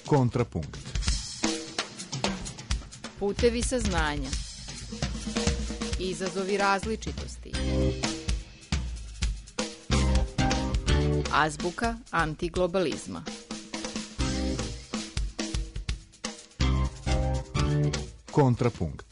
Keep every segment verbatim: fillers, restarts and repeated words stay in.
Kontrapunkt. Putevi saznanja. Izazovi različitosti. Azbuka antiglobalizma. Kontrapunkt.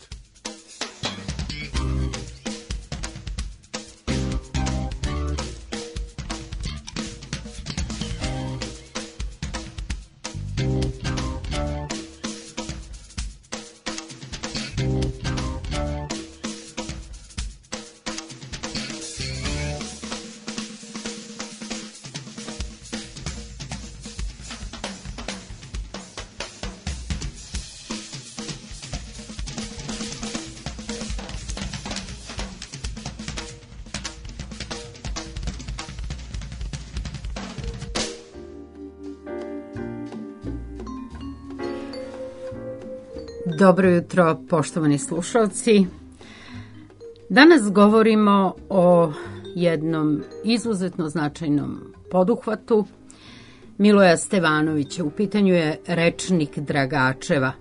Dobro jutro, poštovani slušalci. Danas govorimo o jednom izuzetno značajnom poduhvatu Miloja Stevanovića. U pitanju je rečnik Dragačeva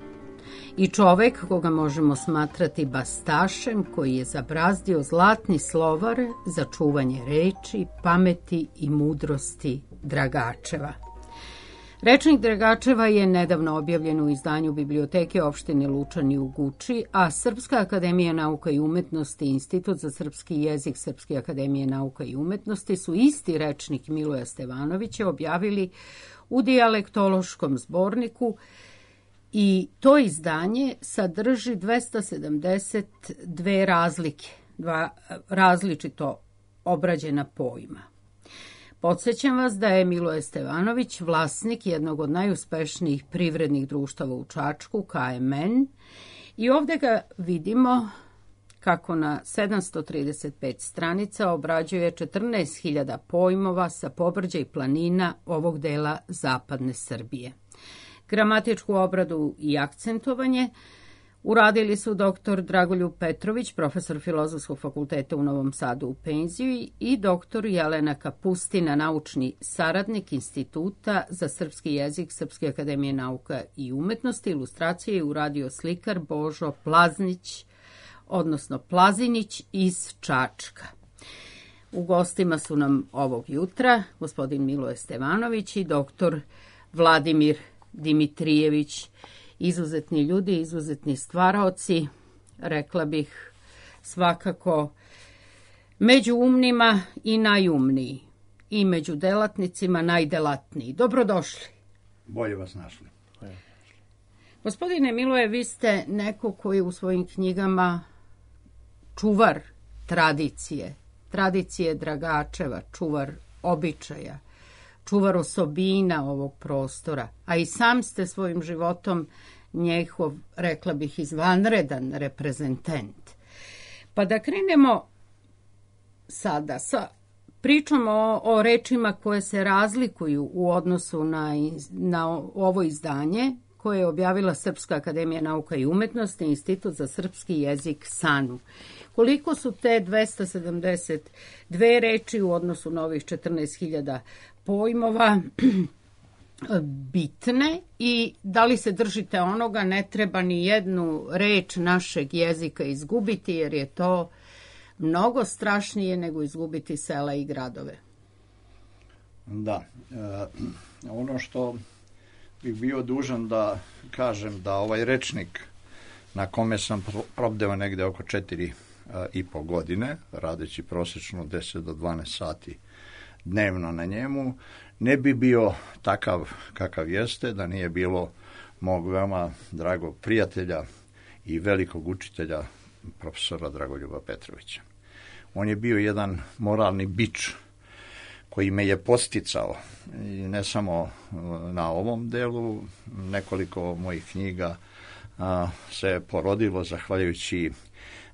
i čovek koga možemo smatrati bastašem koji je zabrazdio zlatni slovar za čuvanje reči, pameti i mudrosti Dragačeva. Rečnik Dragačeva je nedavno objavljen u izdanju Biblioteke opštine Lučani u Guči, a Srpska akademija nauka i umetnosti i Institut za srpski jezik Srpske akademije nauka i umetnosti su isti rečnik Miloja Stevanovića objavili u dijalektološkom zborniku i to izdanje sadrži dvesta sedamdeset dve razlike, dva različito obrađena pojma. Podsećam vas da je Miloje Stevanović vlasnik jednog od najuspešnijih privrednih društava u Čačku, K M N, i ovde ga vidimo kako na sedamsto trideset pet stranica obrađuje četrnaest hiljada pojmova sa pobrđa i planina ovog dela zapadne Srbije. Gramatičku obradu i akcentovanje uradili su doktor Dragoljub Petrović, profesor Filozofskog fakulteta u Novom Sadu u penziji, i doktor Jelena Kapustina, naučni saradnik Instituta za srpski jezik Srpske akademije nauka i umetnosti. Ilustracije je uradio slikar Božo Plaznić, odnosno Plazinić iz Čačka. U gostima su nam ovog jutra gospodin Miloje Stevanović i doktor Vladimir Dimitrijević. Izuzetni ljudi, izuzetni stvaraoci, rekla bih svakako među umnima i najumniji, i među delatnicima najdelatniji. Dobrodošli. Bolje vas našli. Gospodine Miloje, vi ste neko koji u svojim knjigama čuvar tradicije, tradicije Dragačeva, čuvar običaja, čuvar osobina ovog prostora, a i sam ste svojim životom njehov, rekla bih, izvanredan reprezentant. Pa da krenemo sada sa pričom o, o rečima koje se razlikuju u odnosu na, na ovo izdanje koje je objavila Srpska akademija nauka i umetnosti i Institut za srpski jezik S A N U. Koliko su te dvesta sedamdeset dve reči u odnosu na ovih četrnaest hiljada pojmova bitne i da li se držite onoga, ne treba ni jednu reč našeg jezika izgubiti, jer je to mnogo strašnije nego izgubiti sela i gradove? Da, e, ono što bih bio dužan da kažem da ovaj rečnik na kome sam probdeo negde oko četiri e, i po godine, radeći prosječno deset do dvanaest sati dnevno na njemu, ne bi bio takav kakav jeste da nije bilo mog veoma dragog prijatelja i velikog učitelja profesora Dragoljuba Petrovića. On je bio jedan moralni bič koji me je podsticao, i ne samo na ovom delu, nekoliko mojih knjiga a, se porodilo zahvaljujući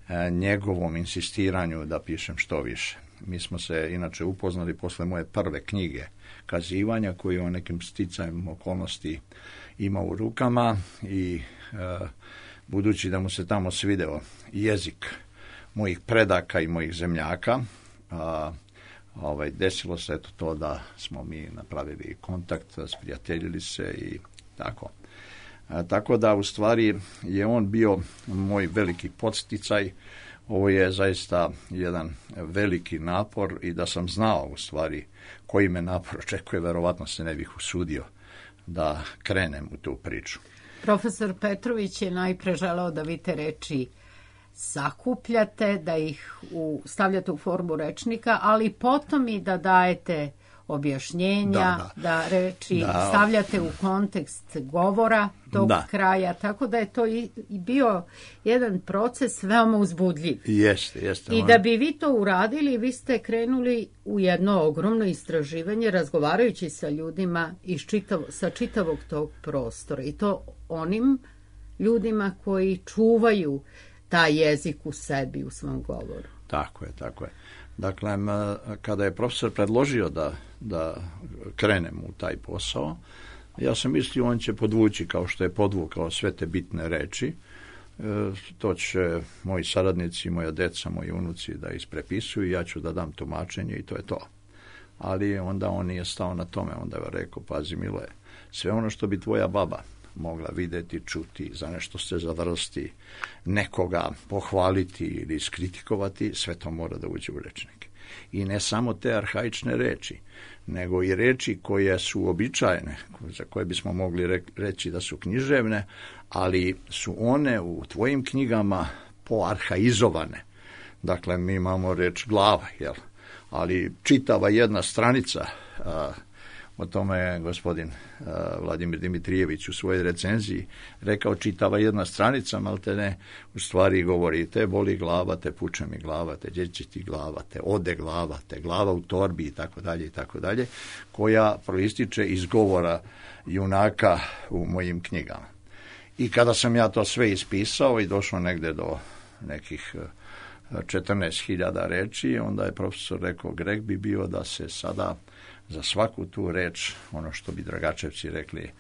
a, njegovom insistiranju da pišem što više. Mi smo se inače upoznali posle moje prve knjige Kazivanja, koju o nekim sticajem okolnosti imao u rukama, i e, budući da mu se tamo svideo jezik mojih predaka i mojih zemljaka, a, ovaj, desilo se eto to da smo mi napravili kontakt, sprijateljili se i Tako. A, tako da u stvari je on bio moj veliki podsticaj. Ovo je zaista jedan veliki napor i da sam znao u stvari koji me napor očekuje, verovatno se ne bih usudio da krenem u tu priču. Profesor Petrović je najpre želeo da vi te reči sakupljate, da ih u, stavljate u formu rečnika, ali potom i da dajete objašnjenja, da, da. da reči da. stavljate u kontekst govora tog da. kraja, tako da je to i, i bio jedan proces veoma uzbudljiv. Jeste, jeste. I da bi vi to uradili, vi ste krenuli u jedno ogromno istraživanje, razgovarajući sa ljudima iz čitav, sa čitavog tog prostora. I to onim ljudima koji čuvaju taj jezik u sebi, u svom govoru. Tako je, tako je. Dakle, kada je profesor predložio da, da krenem u taj posao, ja sam mislio on će podvući kao što je podvukao sve te bitne reči. E, to će moji saradnici, moja deca, moji unuci da isprepisuju, ja ću da dam tumačenje i to je to. Ali onda on nije stao na tome, onda je rekao, pazi Miloje, sve ono što bi tvoja baba mogla videti, čuti, za nešto se zavrsti, nekoga pohvaliti ili iskritikovati, sve to mora da uđe u rečnik. I ne samo te arhaične reči, nego i reči koje su uobičajene, za koje bismo mogli reći da su književne, ali su one u tvojim knjigama poarhaizovane. Dakle, mi imamo reč glava, jel? Ali čitava jedna stranica, a, o tome je gospodin uh, Vladimir Dimitrijević u svojoj recenziji rekao, čitava jedna stranica, malte ne, u stvari govori te boli glava, te puče mi glava, te dječi ti glava, te ode glava, te glava u torbi i tako dalje i tako dalje, koja proističe iz govora junaka u mojim knjigama. I kada sam ja to sve ispisao i došao negde do nekih četrnaest hiljada reči, onda je profesor rekao, greh bi bio da se sada za svaku tu reč, ono što bi Dragačevci rekli,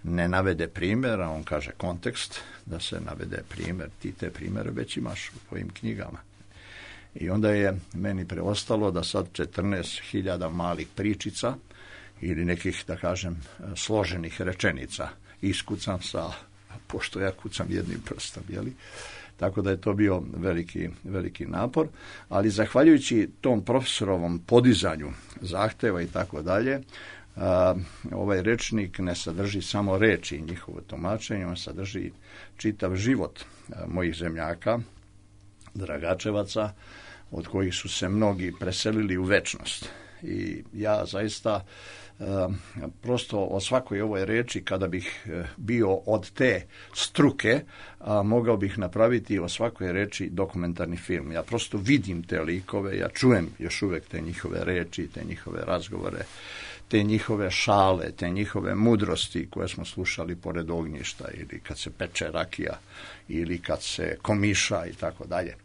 ne navede primjer, a on kaže kontekst, da se navede primjer, ti te primjere već imaš u tvojim knjigama. I onda je meni preostalo da sad četrnaest hiljada malih pričica ili nekih, da kažem, složenih rečenica iskucam sa, pošto ja kucam jednim prstom, jeli? Tako da je to bio veliki, veliki napor, ali zahvaljujući tom profesorovom podizanju zahteva i tako dalje, ovaj rečnik ne sadrži samo reči i njihovo tumačenje, on sadrži čitav život mojih zemljaka, Dragačevaca, od kojih su se mnogi preselili u večnost. I ja zaista prosto o svakoj ovoj reči, kada bih bio od te struke, a, mogao bih napraviti o svakoj reči dokumentarni film. Ja prosto vidim te likove, ja čujem još uvek te njihove reči, te njihove razgovore, te njihove šale, te njihove mudrosti koje smo slušali pored ognjišta ili kad se peče rakija ili kad se komiša i tako dalje.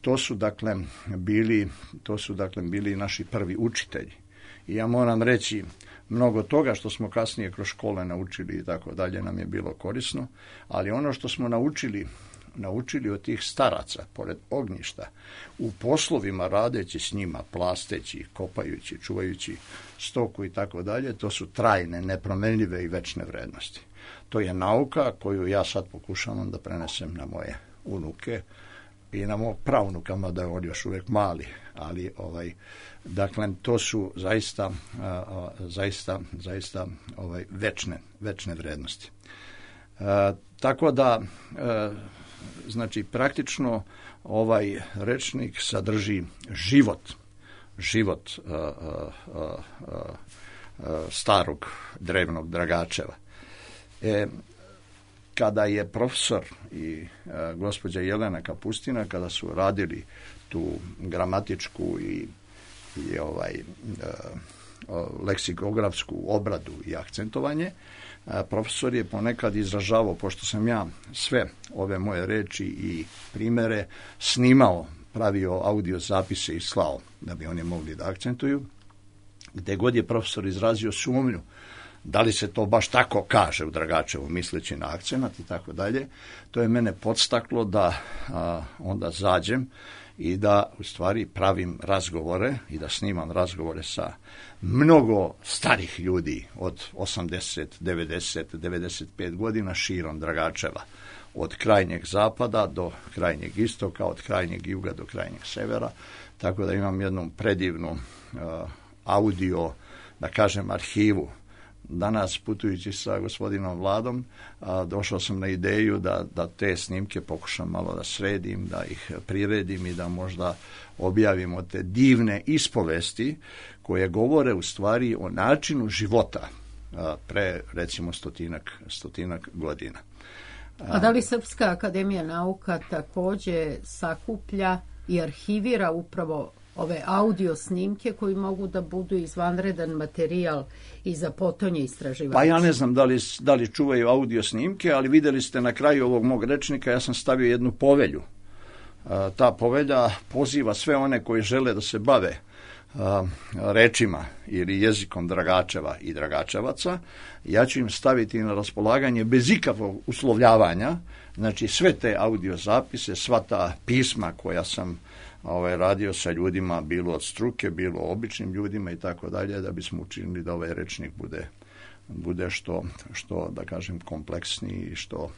To su dakle bili, to su dakle bili naši prvi učitelji. I ja moram reći, mnogo toga što smo kasnije kroz škole naučili i tako dalje nam je bilo korisno, ali ono što smo naučili, naučili od tih staraca, pored ognjišta, u poslovima radeći s njima, plasteći, kopajući, čuvajući stoku i tako dalje, to su trajne, nepromenljive i večne vrednosti. To je nauka koju ja sad pokušavam da prenesem na moje unuke i na mog pravnukama, da je on još uvijek mali, ali ovaj, dakle, to su zaista, a, zaista, zaista ovaj, večne, večne vrednosti. A, tako da, a, znači, praktično ovaj rečnik sadrži život, život a, a, a, a, starog drevnog Dragačeva. E, kada je profesor i a, gospođa Jelena Kapustina, kada su radili tu gramatičku i, i ovaj a, leksikografsku obradu i akcentovanje, a, profesor je ponekad izražavao, pošto sam ja sve ove moje reči i primere snimao, pravio audio zapise i slao, da bi oni mogli da akcentuju, gde god je profesor izrazio sumnju da li se to baš tako kaže u Dragačevu, misleći na akcenat i tako dalje, to je mene podstaklo da a, onda zađem i da u stvari pravim razgovore i da snimam razgovore sa mnogo starih ljudi od osamdeset, devedeset, devedeset pet godina širom Dragačeva, od krajnjeg zapada do krajnjeg istoka, od krajnjeg juga do krajnjeg severa, tako da imam jednu predivnu uh, audio, da kažem, arhivu. Danas, putujući sa gospodinom Vladom, a, došao sam na ideju da, da te snimke pokušam malo da sredim, da ih priredim i da možda objavimo te divne ispovesti koje govore u stvari o načinu života a, pre, recimo, stotinak, stotinak godina. A, A da li Srpska akademija nauka takođe sakuplja i arhivira upravo ove audio snimke koji mogu da budu izvanredan materijal i za potonje istraživača? Pa ja ne znam da li, da li čuvaju audio snimke, ali videli ste na kraju ovog mog rečnika, ja sam stavio jednu povelju. A, ta povelja poziva sve one koji žele da se bave a, rečima ili jezikom Dragačeva i Dragačevaca. Ja ću im staviti na raspolaganje bez ikakvog uslovljavanja, znači sve te audio zapise, sva ta pisma koja sam ovaj, radio sa ljudima, bilo od struke, bilo običnim ljudima i tako dalje, da bismo učinili da ovaj rečnik bude, bude što, što, da kažem, kompleksniji i što,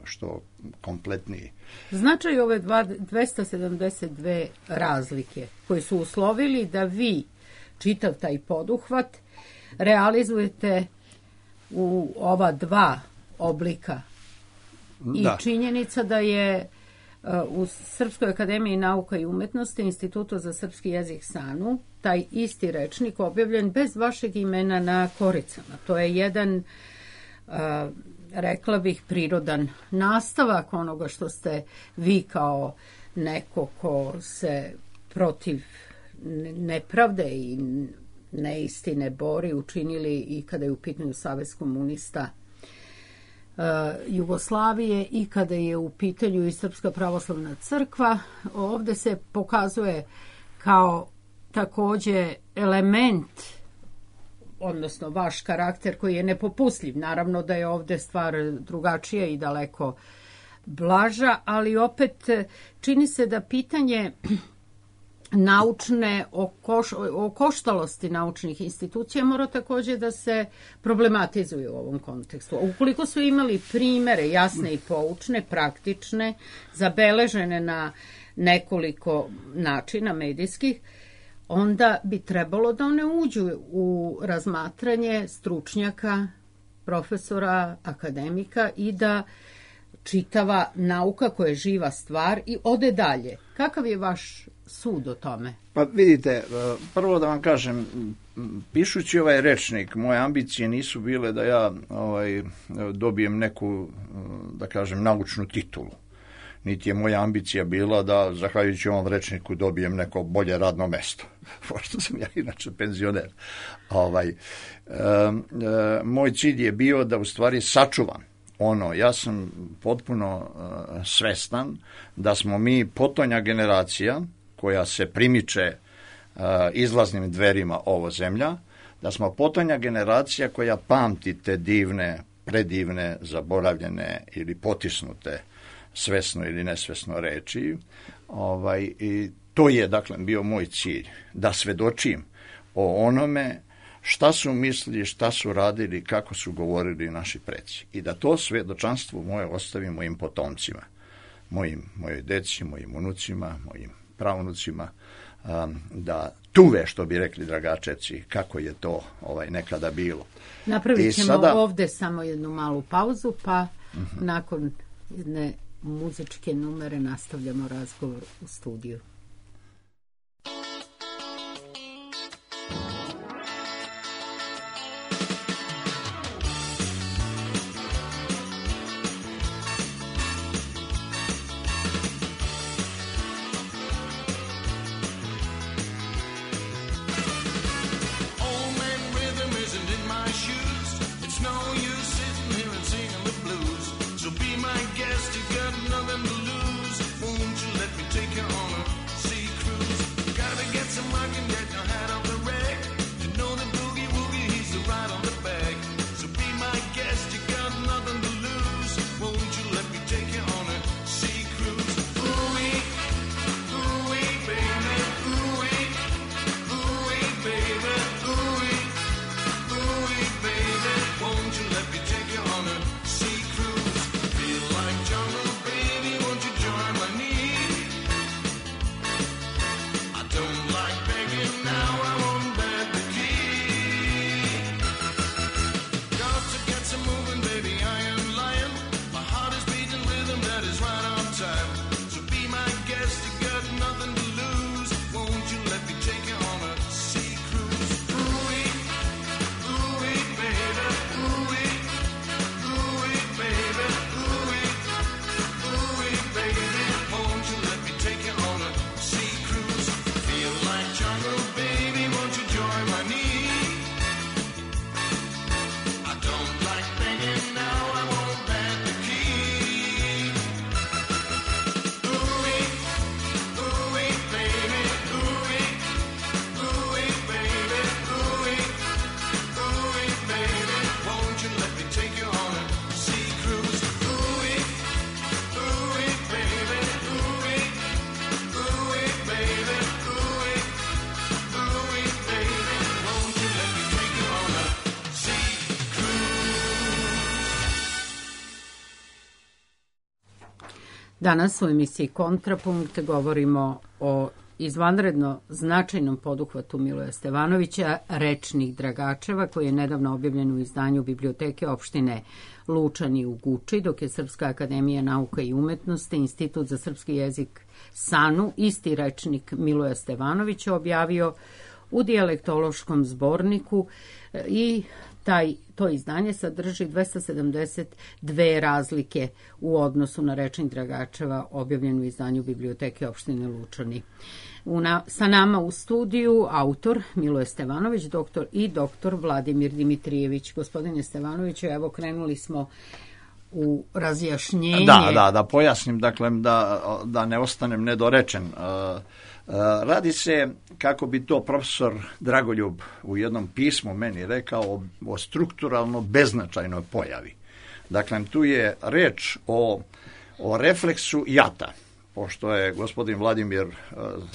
što kompletniji. Značaj ove dvesta sedamdeset dve razlike koji su uslovili da vi čitav taj poduhvat realizujete u ova dva oblika. I da. Činjenica da je u Srpskoj akademiji nauka i umetnosti, Institutu za srpski jezik SANU, taj isti rečnik objavljen bez vašeg imena na koricama. To je jedan, rekla bih, prirodan nastavak onoga što ste vi kao neko ko se protiv nepravde i neistine bori učinili i kada je u pitanju Savez komunista Jugoslavije i kada je u pitanju i Srpska pravoslavna crkva. Ovde se pokazuje kao takođe element, odnosno vaš karakter koji je nepopustljiv. Naravno da je ovde stvar drugačija i daleko blaža, ali opet čini se da pitanje naučne okoš, okoštalosti naučnih institucija mora takođe da se problematizuje u ovom kontekstu. Ukoliko su imali primere jasne i poučne, praktične, zabeležene na nekoliko načina medijskih, onda bi trebalo da one uđu u razmatranje stručnjaka, profesora, akademika i da čitava nauka koja je živa stvar i ode dalje. Kakav je vaš sud o tome? Pa vidite, prvo da vam kažem, pišući ovaj rečnik, moje ambicije nisu bile da ja ovaj, dobijem neku, da kažem, naučnu titulu. Niti je moja ambicija bila da, zahvaljujući ovom rečniku, dobijem neko bolje radno mesto, pošto sam ja inače penzioner. Ovaj, e, e, moj cilj je bio da u stvari sačuvam ono, ja sam potpuno uh, svestan da smo mi potonja generacija koja se primiče uh, izlaznim dverima ovo zemlja, da smo potonja generacija koja pamti te divne, predivne, zaboravljene ili potisnute svesno ili nesvesno reči. Ovaj, i to je, dakle, bio moj cilj, da svedočim o onome šta su mislili, šta su radili, kako su govorili naši preci. I da to svedočanstvo moje ostavim mojim potomcima, mojim, mojoj deci, mojim unucima, mojim pravunucima, um, da tuve, što bi rekli Dragačevci, kako je to ovaj, nekada bilo. Napravit ćemo sada ovde samo jednu malu pauzu, pa uh-huh. nakon jedne muzičke numere nastavljamo razgovor u studiju. So be my guest, you got nothing to lose. Won't you let me take you on a Danas u emisiji Kontrapunkt govorimo o izvanredno značajnom poduhvatu Miloja Stevanovića, Rečnik Dragačeva, koji je nedavno objavljen u izdanju Biblioteke opštine Lučani u Guči, dok je Srpska akademija nauka i umetnosti, Institut za srpski jezik SANU, isti rečnik Miloja Stevanovića objavio u dijalektološkom zborniku i taj, to izdanje sadrži dvesta sedamdeset dve razlike u odnosu na Rečnik Dragačeva objavljen u izdanju Biblioteke opštine Lučani. U na, sa nama u studiju autor Miloje Stevanović, doktor i doktor Vladimir Dimitrijević. Gospodine Stevanoviću, evo krenuli smo u razjašnjenje. Da, da, da pojasnim, dakle, da, da ne ostanem nedorečen. Radi se, kako bi to profesor Dragoljub u jednom pismu meni rekao, o strukturalno beznačajnoj pojavi. Dakle, tu je reč o, o refleksu jata. Pošto je gospodin Vladimir,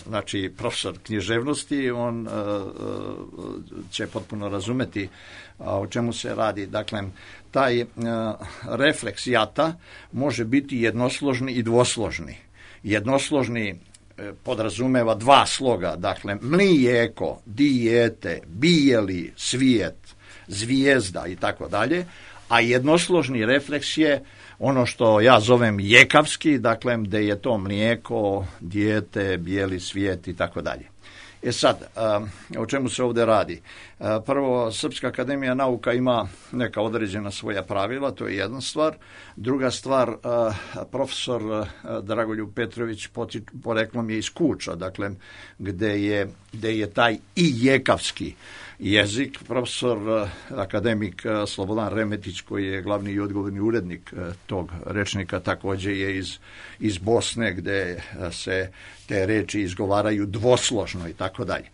znači profesor književnosti, on će potpuno razumeti o čemu se radi. Dakle, taj refleks jata može biti jednosložni i dvosložni. Jednosložni podrazumeva dva sloga, dakle mlijeko, dijete, bijeli, svijet, zvijezda i tako dalje, a jednosložni refleks je ono što ja zovem jekavski, dakle gde je to mlijeko, dijete, bijeli svijet i tako dalje. E sad, o čemu se ovdje radi? Prvo, Srpska akademija nauka ima neka određena svoja pravila, to je jedna stvar. Druga stvar, profesor Dragoljub Petrović poreklom je iz Kuča, dakle, gde je, gde je taj i jekavski jezik. Profesor akademik Slobodan Remetić, koji je glavni i odgovorni urednik tog rečnika, također je iz, iz Bosne, gde se te reči izgovaraju dvosložno i tako dalje.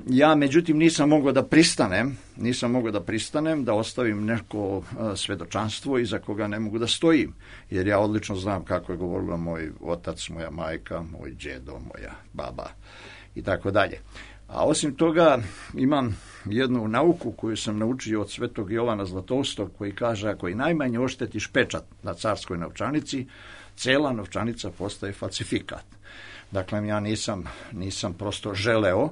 Ja, međutim, nisam mogao da pristanem, nisam mogao da pristanem da ostavim neko svedočanstvo iza koga ne mogu da stojim, jer ja odlično znam kako je govorila moj otac, moja majka, moj djedo, moja baba i tako dalje. A osim toga imam jednu nauku koju sam naučio od svetog Jovana Zlatoustog, koji kaže, ako i najmanje oštetiš pečat na carskoj novčanici, cela novčanica postaje falsifikat. Dakle, ja nisam, nisam prosto želeo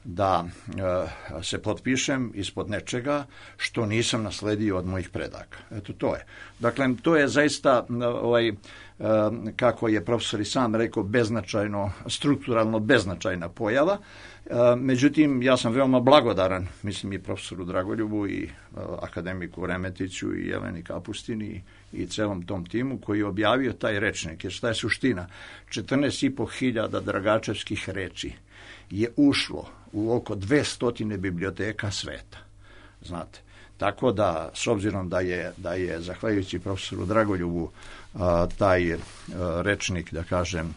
da e, se potpišem ispod nečega što nisam nasledio od mojih predaka. Eto, to je. Dakle, to je zaista, ovaj, e, kako je profesor i sam rekao, beznačajno, strukturalno beznačajna pojava. E, međutim, ja sam veoma blagodaran, mislim, i profesoru Dragoljubu i e, akademiku Remetiću i Jeleni Kapustini i celom tom timu koji je objavio taj rečnik. Jer šta je suština? četrnaest i po hiljada dragačevskih reči je ušlo u oko dvesta biblioteka sveta. Znate, tako da, s obzirom da je, da je zahvaljujući profesoru Dragoljubu a, taj a, rečnik, da kažem,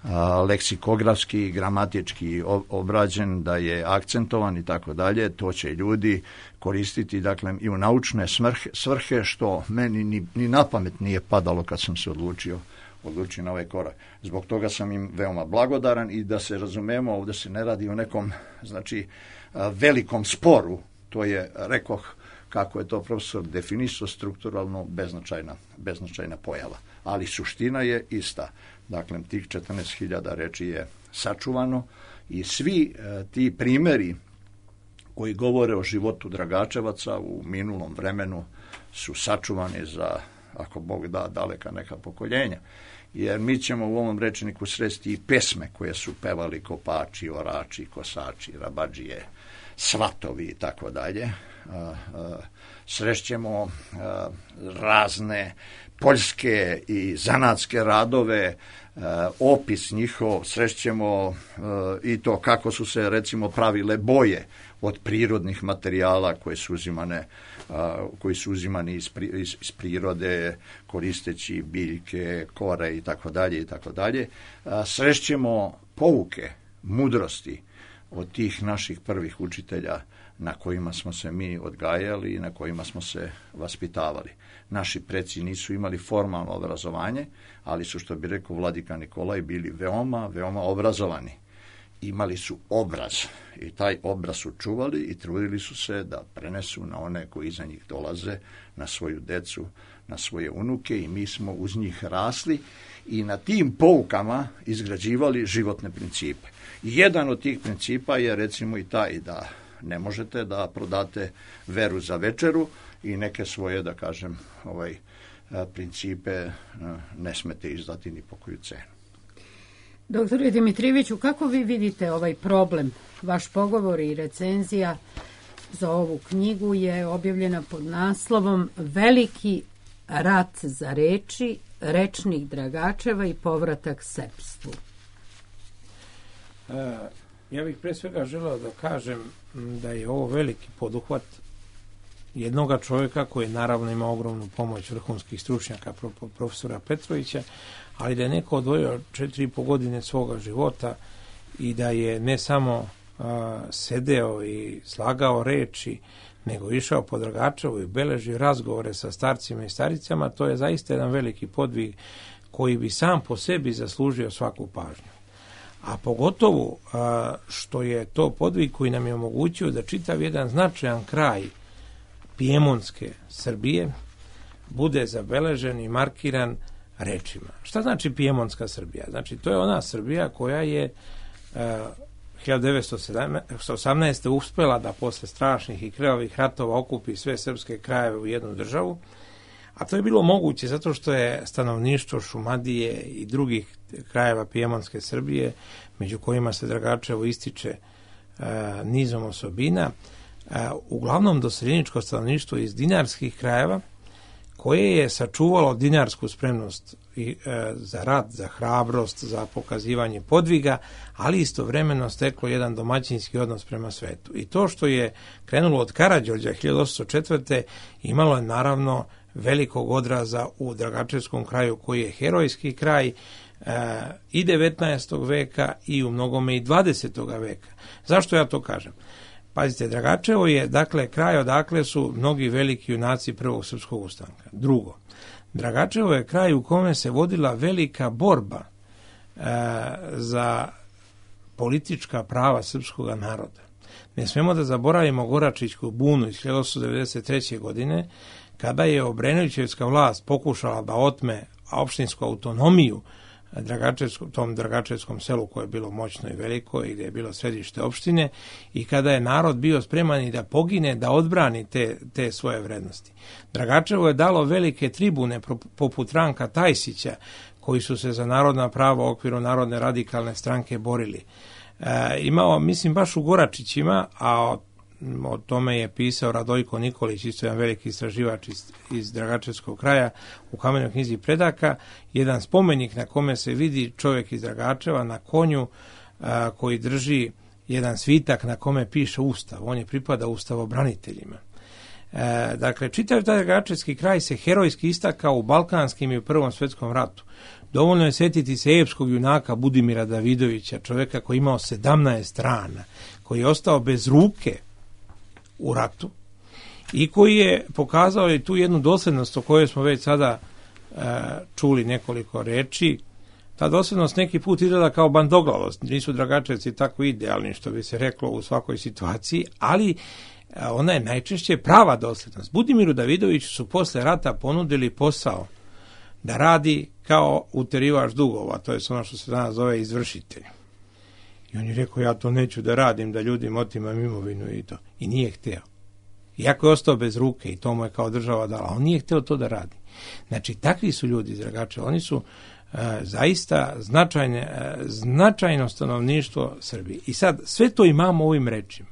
a, leksikografski, gramatički obrađen, da je akcentovan i tako dalje, to će ljudi koristiti, dakle, i u naučne smrhe, svrhe, što meni ni, ni na pamet nije padalo kad sam se odlučio odluči na ovaj korak. Zbog toga sam im veoma blagodaran i da se razumemo, ovdje se ne radi o nekom, znači, velikom sporu, to je, rekoh, kako je to profesor definisao, strukturalno beznačajna, beznačajna pojava. Ali suština je ista. Dakle, tih četrnaest hiljada reči je sačuvano i svi e, ti primjeri koji govore o životu Dragačevaca u minulom vremenu su sačuvani za, ako Bog da, daleka neka pokoljenja. Jer mi ćemo u ovom rečniku sresti i pesme koje su pevali kopači, orači, kosači, rabadžije, svatovi i tako dalje. Srešćemo razne poljske i zanatske radove, opis njihov, srešćemo i to kako su se, recimo, pravile boje od prirodnih materijala koje su uzimane, koji su uzimani iz, iz, iz prirode, koristeći biljke, kore i tako dalje i tako dalje. Srešćemo pouke, mudrosti od tih naših prvih učitelja na kojima smo se mi odgajali i na kojima smo se vaspitavali. Naši preci nisu imali formalno obrazovanje, ali su, što bi rekao vladika Nikolaj, bili veoma, veoma obrazovani. Imali su obraz i taj obraz su čuvali i trudili su se da prenesu na one koji iza njih dolaze, na svoju decu, na svoje unuke i mi smo uz njih rasli i na tim poukama izgrađivali životne principe. Jedan od tih principa je recimo i taj da ne možete da prodate veru za večeru i neke svoje, da kažem, ovaj, principe ne smete izdati ni po koju cenu. Doktore Dimitrijeviću, kako vi vidite ovaj problem? Vaš pogovor i recenzija za ovu knjigu je objavljena pod naslovom Veliki rat za reči, rečnik Dragačeva i povratak srpstvu. E, ja bih pre svega želeo da kažem da je ovo veliki poduhvat jednoga čovjeka koji naravno ima ogromnu pomoć vrhunskih stručnjaka, profesora Petrovića, ali da je neko odvojio četiri i po godine svoga života i da je ne samo a, sedeo i slagao reči, nego išao po Dragačevu i beležio razgovore sa starcima i staricama, to je zaista jedan veliki podvig koji bi sam po sebi zaslužio svaku pažnju. A pogotovo a, što je to podvig koji nam je omogućio da čitav jedan značajan kraj Pijemonske Srbije bude zabeležen i markiran rečima. Šta znači Pijemonska Srbija? Znači, to je ona Srbija koja je uh, hiljadu devetsto osamnaeste. uspela da posle strašnih i krvavih ratova okupi sve srpske krajeve u jednu državu, a to je bilo moguće zato što je stanovništvo Šumadije i drugih krajeva Pijemonske Srbije, među kojima se Dragačevo ističe uh, nizom osobina, uh, uglavnom doseljeničko stanovništvo iz dinarskih krajeva, koje je sačuvalo dinarsku spremnost i, e, za rat, za hrabrost, za pokazivanje podviga, ali istovremeno steklo jedan domaćinski odnos prema svetu. I to što je krenulo od Karađorđa hiljadu osamsto četvrte. imalo je naravno velikog odraza u Dragačevskom kraju, koji je herojski kraj e, i devetnaestog veka i u mnogome i dvadesetog veka. Zašto ja to kažem? Pazite, Dragačevo je, dakle, kraj odakle su mnogi veliki junaci prvog srpskog ustanka. Drugo, Dragačevo je kraj u kome se vodila velika borba e, za politička prava srpskog naroda. Ne smemo da zaboravimo Goračićku bunu iz hiljadu osamsto devedeset treće. godine, kada je Obrenovićevska vlast pokušala da otme opštinsku autonomiju Dragačevskom, tom Dragačevskom selu koje je bilo moćno i veliko i gdje je bilo središte opštine, i kada je narod bio spreman i da pogine, da odbrani te, te svoje vrednosti. Dragačevo je dalo velike tribune poput Ranka Tajsića, koji su se za narodna prava u okviru Narodne radikalne stranke borili. E, imao, mislim, baš u Goračićima, a o tome je pisao Radojko Nikolić, isto jedan veliki istraživač iz, iz Dragačevskog kraja, u Kamenoj knjizi predaka, jedan spomenik na kome se vidi čovjek iz Dragačeva na konju a, koji drži jedan svitak na kome piše Ustav. On je pripada ustavobraniteljima. E, dakle, čitav taj Dragačevski kraj se herojski istakao u Balkanskim i u Prvom svjetskom ratu. Dovoljno je sjetiti se epskog junaka Budimira Davidovića, čovjeka koji je imao sedamnaest rana, koji je ostao bez ruke u ratu i koji je pokazao i tu jednu dosljednost o kojoj smo već sada e, čuli nekoliko reči. Ta dosljednost neki put izgleda kao bandoglavost, nisu Dragačevci tako idealni, što bi se reklo u svakoj situaciji, ali e, ona je najčešće prava dosljednost. Budimiru Davidoviću su posle rata ponudili posao da radi kao uterivač dugova, to je ono što se danas zove izvršitelj. I on je rekao, ja to neću da radim, da ljudima otimam imovinu i to. I nije hteo. Iako je ostao bez ruke i to mu je kao država dala, on nije hteo to da radi. Znači, takvi su ljudi iz Dragačeva. Oni su uh, zaista značajne, uh, značajno stanovništvo Srbije. I sad, sve to imamo ovim rečima.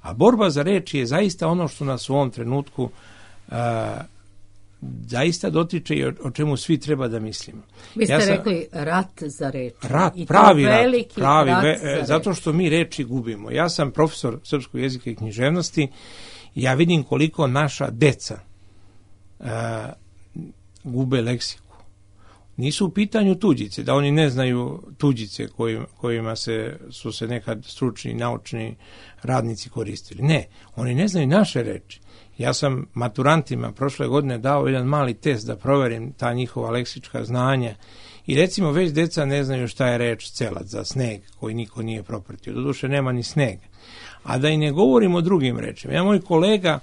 A borba za reči je zaista ono što nas u ovom trenutku uh, zaista dotiče i o, o čemu svi treba da mislimo. Vi ste ja sam, rekli rat za reči. Rat, I pravi rat, veliki pravi, rat ve, za zato reči. što mi reči gubimo. Ja sam profesor srpskog jezika i književnosti i ja vidim koliko naša deca uh, gube leksiku. Nisu u pitanju tuđice, da oni ne znaju tuđice kojima, kojima se, su se nekad stručni, naučni radnici koristili. Ne, oni ne znaju naše reči. Ja sam maturantima prošle godine dao jedan mali test da proverim ta njihova leksička znanja i recimo već deca ne znaju šta je reč celac za sneg koji niko nije propratio. Doduše nema ni snega. A da i ne govorim o drugim rečima. Ja, moj kolega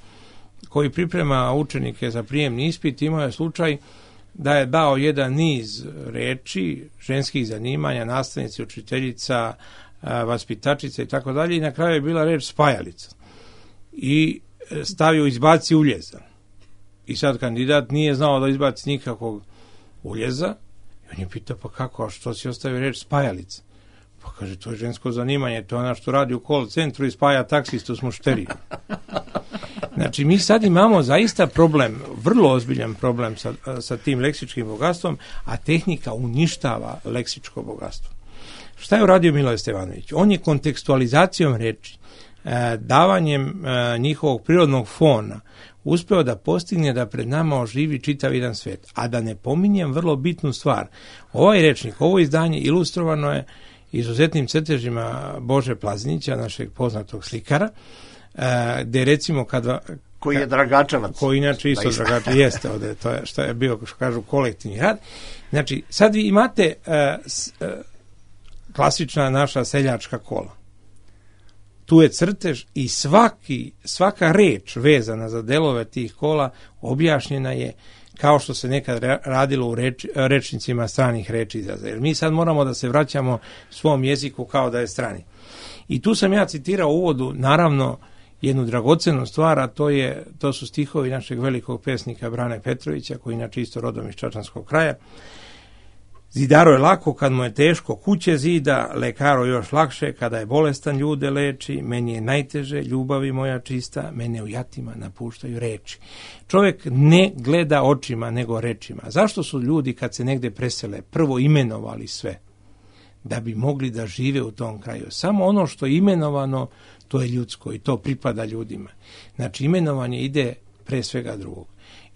koji priprema učenike za prijemni ispit, imao je slučaj da je dao jedan niz reči, ženskih zanimanja, nastavnici, učiteljica, vaspitačica i tako dalje, i na kraju je bila reč spajalica. I stavio izbaci uljeza. I sad kandidat nije znao da izbaci nikakvog uljeza. I on je pitao, pa kako, a što si ostavio reč spajalica? Pa kaže, to je žensko zanimanje, to je ona što radi u call centru i spaja taksistu s mušterijom. Znači, mi sad imamo zaista problem, vrlo ozbiljan problem sa, sa tim leksičkim bogatstvom, a tehnika uništava leksičko bogatstvo. Šta je uradio Miloje Stevanović? On je kontekstualizacijom reči, davanjem njihovog prirodnog fona, uspeo da postigne da pred nama oživi čitav jedan svet. A da ne pominjem vrlo bitnu stvar. Ovaj rečnik, ovo izdanje ilustrovano je izuzetnim crtežima Bože Plazinića, našeg poznatog slikara, gde recimo kada... Koji je Dragačevac. Koji inače isto Dragačevac jeste ovde, to je što je bio, što kažu, kolektivni rad. Znači, sad vi imate uh, uh, klasična naša seljačka kola. Tu je crtež i svaki, svaka reč vezana za delove tih kola objašnjena je kao što se nekad radilo u reč, rečnicima stranih reči izraza. Jer mi sad moramo da se vraćamo svom jeziku kao da je strani. I tu sam ja citirao u uvodu, naravno, jednu dragocenu stvar, a to, je, to su stihovi našeg velikog pesnika Brane Petrovića, koji inače isto rodom iz Čačanskog kraja. Zidaro je lako kad mu je teško kuće zida, lekaro još lakše kada je bolestan ljude leči, meni je najteže, ljubavi moja čista, mene u jatima napuštaju reči. Čovjek ne gleda očima nego rečima. Zašto su ljudi kad se negde presele prvo imenovali sve? Da bi mogli da žive u tom kraju. Samo ono što je imenovano, to je ljudsko i to pripada ljudima. Znači, imenovanje ide pre svega drugog.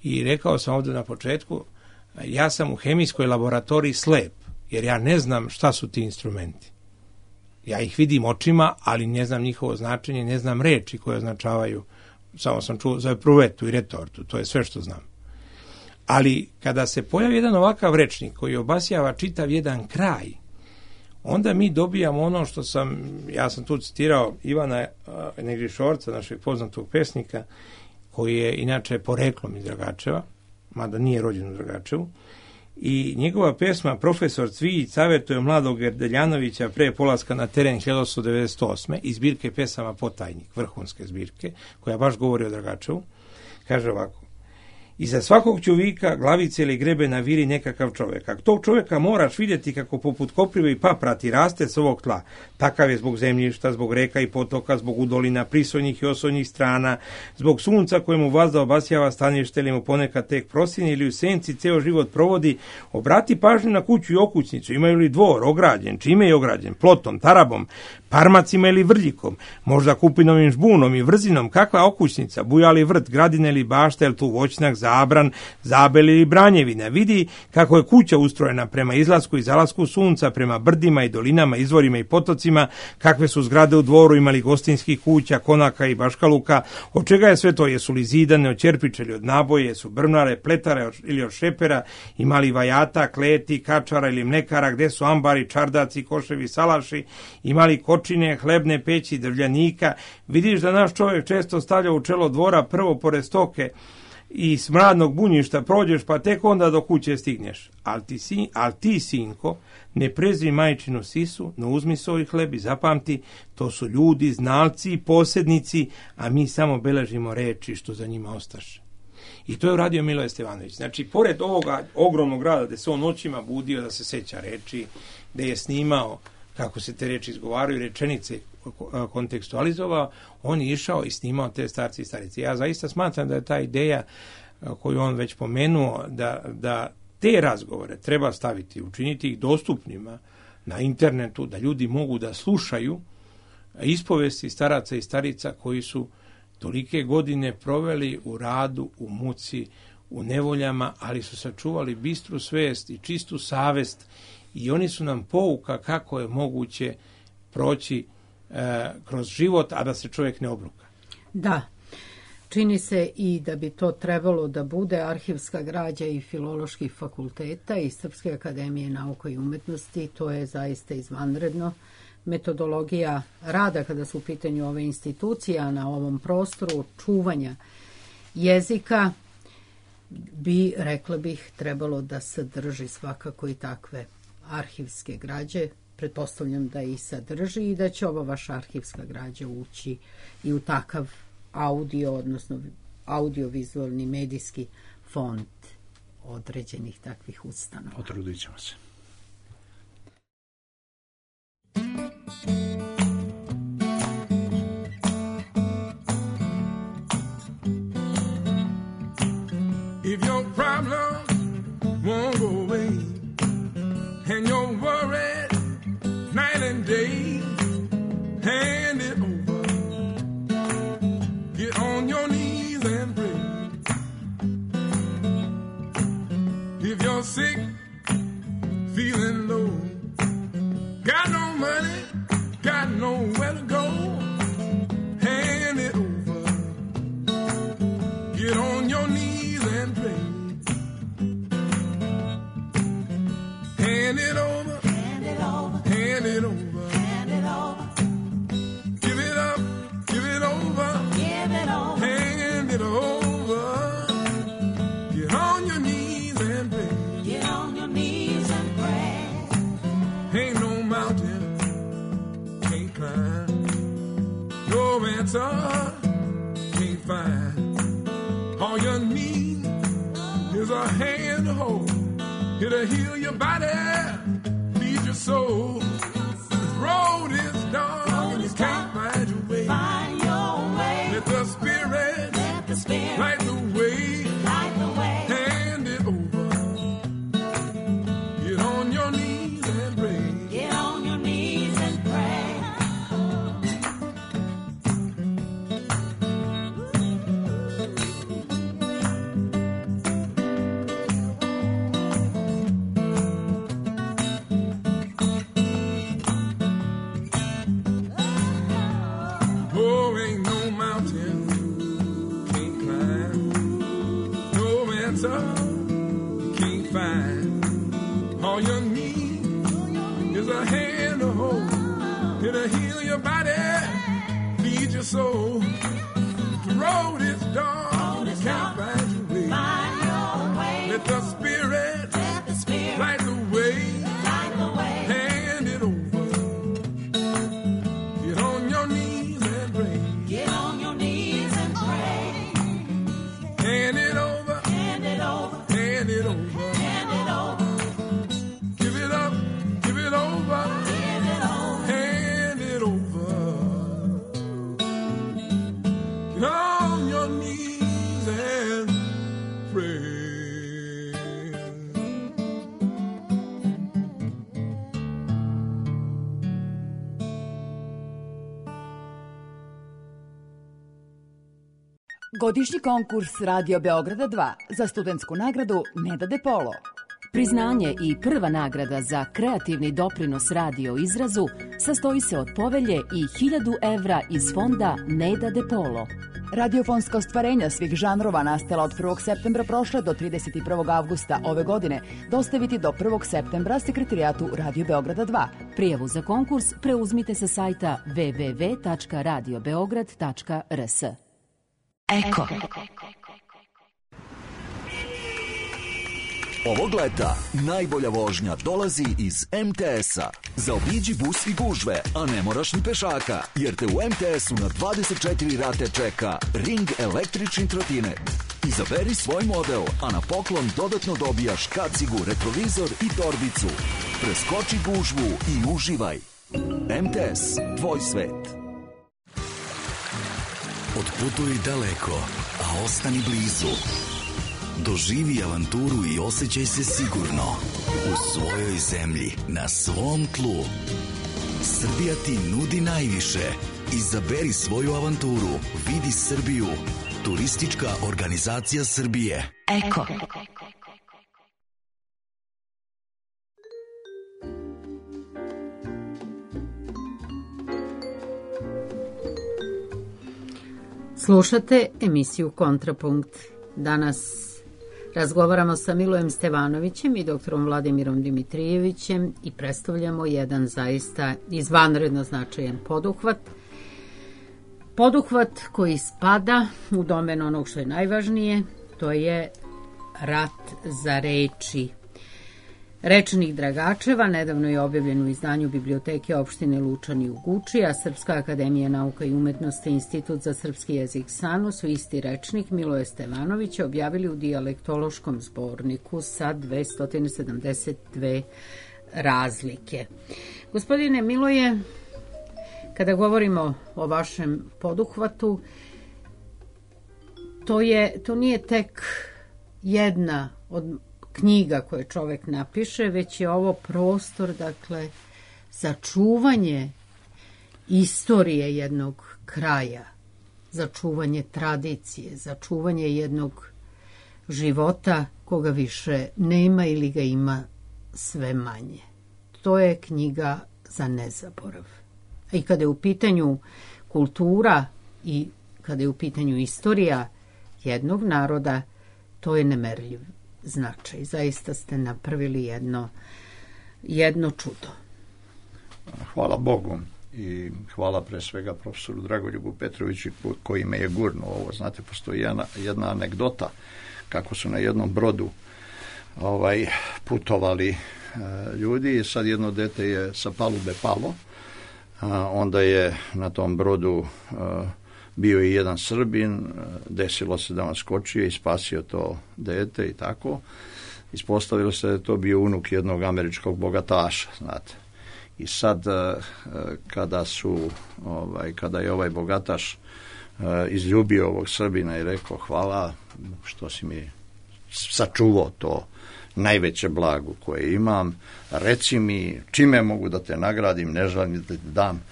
I rekao sam ovdje na početku, ja sam u hemijskoj laboratoriji slep, jer ja ne znam šta su ti instrumenti. Ja ih vidim očima, ali ne znam njihovo značenje, ne znam reči koje označavaju, samo sam čuo za pruvetu i retortu, to je sve što znam. Ali kada se pojavi jedan ovakav rečnik koji obasjava čitav jedan kraj, onda mi dobijamo ono što sam, ja sam tu citirao Ivana Negrišorca, našeg poznatog pesnika, koji je inače poreklom iz Dragačeva, mada nije rođen u Dragačevu, i njegova pesma Profesor Cvijić savjetuje mladog Gerdeljanovića pre polaska na teren hiljadu osamsto devedeset osme iz zbirke pesama Potajnik, vrhunske zbirke, koja baš govori o Dragačevu, kaže ovako: iza svakog čovjeka, glavice ili grebena viri nekakav čovjek. A tog čovjeka moraš vidjeti kako poput koprive i paprati raste s ovog tla. Takav je zbog zemljišta, zbog reka i potoka, zbog udolina, prisojnih i osojnih strana, zbog sunca kojemu vazda obasjava stanište ili mu ponekad tek prosine ili u senci ceo život provodi. Obrati pažnju na kuću i okućnicu. Imaju li dvor ograđen? Čime je ograđen? Plotom, tarabom, parmacima ili vrljikom? Možda kupinovim žbunom i vrzinom? Kakva okućnica? Buja li vrt, gradina ili bašta, ili tu voćnjak, zabran, zabel ili branjevina? Vidi kako je kuća ustrojena prema izlasku i zalasku sunca, prema brdima i dolinama, izvorima i potocima, kakve su zgrade u dvoru, imali gostinskih kuća, konaka i baškaluka, od čega je sve to? Jesu li zidane od čerpiča ili od naboje, jesu brvnare, pletare ili od šepera, imali vajata, kleti, kačara ili mlekara, gde su ambari, čardaci, koševi, salaši, imali kočine, hlebne peći, drvljanika. Vidiš da naš čovjek često stavlja u čelo dvora prvo pored stoke i smradnog bunjišta prođeš, pa tek onda do kuće stigneš. Al ti, sin, al ti sinko, ne prezri majčinu sisu, no uzmi svoj hleb i zapamti, to su ljudi, znalci i posjednici, a mi samo beležimo reči što za njima ostaše. I to je uradio Miloje Stevanović. Znači, pored ovoga ogromnog rada gde se on noćima budio da se seća reči, gde je snimao kako se te reči izgovaraju, rečenice kontekstualizovao, on je išao i snimao te starci i starice. Ja zaista smatram da je ta ideja koju on već pomenuo, da, da te razgovore treba staviti, učiniti ih dostupnima na internetu, da ljudi mogu da slušaju ispovesti staraca i starica koji su tolike godine proveli u radu, u muci, u nevoljama, ali su sačuvali bistru svest i čistu savest i oni su nam pouka kako je moguće proći e, kroz život, a da se čovjek ne obruka. Da, čini se i da bi to trebalo da bude arhivska građa i filoloških fakulteta i Srpske akademije nauka i umetnosti. To je zaista izvanredno. Metodologija rada kada su u pitanju ove institucije, a na ovom prostoru čuvanja jezika bi, rekla bih, trebalo da sadrži svakako i takve arhivske građe. Pretpostavljam da i sadrži i da će ova vaša arhivska građa ući i u takav audio, odnosno audiovizualni medijski fond određenih takvih ustanova. Potrudit ćemo se. If your problem won't go away and you're worried night and day, hand it over. Get on your knees and pray. If you're sick, feeling low, got no money, got nowhere to go, hand it over. Get on your knees and pray. Hand it over. Hand it over. Hand it over. Hand it over. Give it up. Give it over. Give it over. Hand it over. Get on your knees and pray. Get on your knees and pray. Ain't no mountain can't climb. No answer can't find. All you need is a hand to hold. It'll heal your body, feed your soul. This road is dark and you can't find your way. Find your way. Let the Spirit, Let the Spirit light the way. light the way. Hand it over. Get on your knees and pray. Get on your knees and pray. Oh, ain't no mountain can't climb. No answer can't find. All you need is a hand to hold. It'll heal your body, feed your soul. The road is dark, you can't find your way. Find your way. Let the Spirit Let the Spirit light the way. light the way. Hand it over. Get on your knees and pray. Get on your knees and pray. Hand it over. Hand it over. Hand it over. Hand it over. Give it up. Give it over. Give it over. Hand it over. Get on your knees and pray. Godišnji konkurs Radio Beograda dva za studentsku nagradu Neda De Polo. Priznanje i prva nagrada za kreativni doprinos radio izrazu sastoji se od povelje i hiljadu evra iz fonda Neda De Polo. Radiofonska ostvarenja svih žanrova nastala od prvog septembra prošle do trideset prvog avgusta ove godine dostaviti do prvog septembra sekretarijatu Radio Beograda dva. Prijavu za konkurs preuzmite sa sajta w w w tačka radio beograd tačka r s. Eko. Ovog leta najbolja vožnja dolazi iz em te esa. Zaobiđi bus i gužve, a ne moraš ni pešaka, jer te u em te esu na dvadeset četiri rate čeka Ring električni trotinet. Izaberi svoj model, a na poklon dodatno dobijaš kacigu, retrovizor i torbicu. Preskoči gužvu i uživaj. em te es, tvoj svet. Otputuj daleko, a ostani blizu. Doživi avanturu i osjećaj se sigurno u svojoj zemlji, na svom tlu. Srbija ti nudi najviše. Izaberi svoju avanturu. Vidi Srbiju. Turistička organizacija Srbije. Eko. Slušate emisiju Kontrapunkt. Danas razgovaramo sa Milojem Stevanovićem i doktorom Vladimirom Dimitrijevićem i predstavljamo jedan zaista izvanredno značajan poduhvat. poduhvat koji spada u domen onog što je najvažnije, to je rat za reči. Rečnik Dragačeva nedavno je objavljen u izdanju Biblioteke opštine Lučani u Guči, a Srpska akademija nauka i umetnosti i Institut za srpski jezik SANU su isti rečnik Miloje Stevanovića objavili u dijalektološkom zborniku sa dvesta sedamdeset dve razlike. Gospodine Miloje, kada govorimo o vašem poduhvatu, to, je, to nije tek jedna od knjiga koje čovek napiše, već je ovo prostor, dakle, za čuvanje istorije jednog kraja, za čuvanje tradicije, za čuvanje jednog života koga više nema ili ga ima sve manje. To je knjiga za nezaborav. I kada je u pitanju kultura i kada je u pitanju istorija jednog naroda, to je nemerljiv značaj. Zaista ste napravili jedno, jedno čudo. Hvala Bogu i hvala pre svega profesoru Dragoljubu Petroviću koji me je gurnuo ovo. Znate, postoji jedna, jedna anegdota kako su na jednom brodu ovaj, putovali e, ljudi i sad jedno dete je sa palube palo, a onda je na tom brodu e, bio i jedan Srbin, desilo se da on skočio i spasio to dete i tako. Ispostavilo se da je to bio unuk jednog američkog bogataša, znate. I sad kada su ovaj kada je ovaj bogataš izljubio ovog Srbina i rekao hvala što si mi sačuvao to najveće blago koje imam, reci mi čime mogu da te nagradim, ne želim da ti dam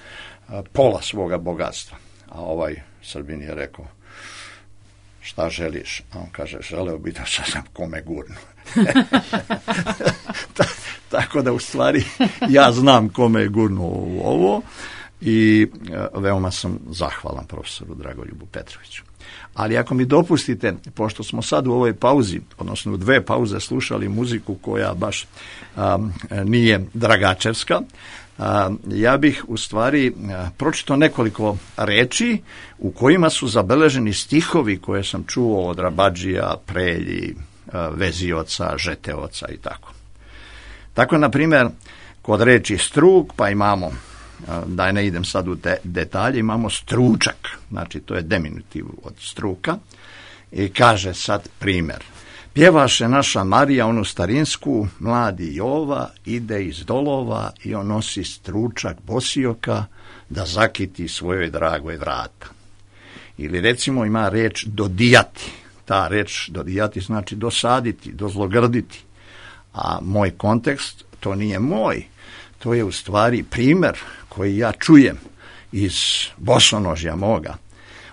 pola svoga bogatstva. A ovaj Srbin je rekao šta želiš? A on kaže želeo bi da sam kome gurnu. Ta, tako da u stvari ja znam kome je gurnuo u ovo i veoma sam zahvalan profesoru Dragoljubu Petroviću. Ali ako mi dopustite, pošto smo sad u ovoj pauzi, odnosno u dve pauze slušali muziku koja baš um, nije dragačevska, a, ja bih u stvari pročitao nekoliko reči u kojima su zabeleženi stihovi koje sam čuo od Rabadžija, Prelji, Vezioca, Žeteoca i tako. Tako, na primjer, kod reči struk, pa imamo, da ne idem sad u te detalje, imamo stručak, znači to je diminutiv od struka, i kaže sad primjer. Pjevaše naša Marija onu starinsku, mladi Jova ide iz dolova i on nosi stručak bosioka da zakiti svojoj dragoj vrata. Ili recimo ima reč dodijati. Ta reč dodijati znači dosaditi, dozlogrditi. A moj kontekst, to nije moj. To je u stvari primjer koji ja čujem iz bosonožja moga.